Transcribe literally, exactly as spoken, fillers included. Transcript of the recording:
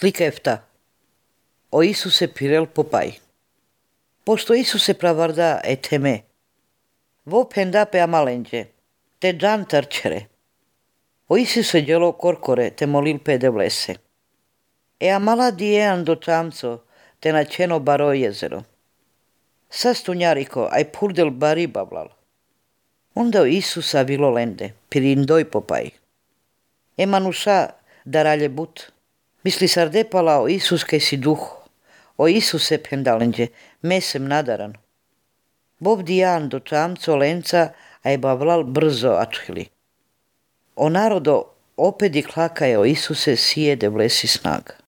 Slika efta. O Isuse pirel popai. Pošto Isuse pravarda eteme, vo penda pe amalenđe, te dan trčere. O Isuse djelo korkore te molil pe devlese. E amala diean do tamco, te načeno baro jezero. Sastunjariko, aj purdel bari bablal. Onda o Isusa bilo lende, pirindoj popai. E manuša daralje but. Misli sardepala o Isus kaj si duh, o Isuse pendalenđe, mesem nadaran. Bob dijan do tamco lenca, aj bavlal brzo atchili. O narodo opedi klakaje o Isuse sije devlesi snag.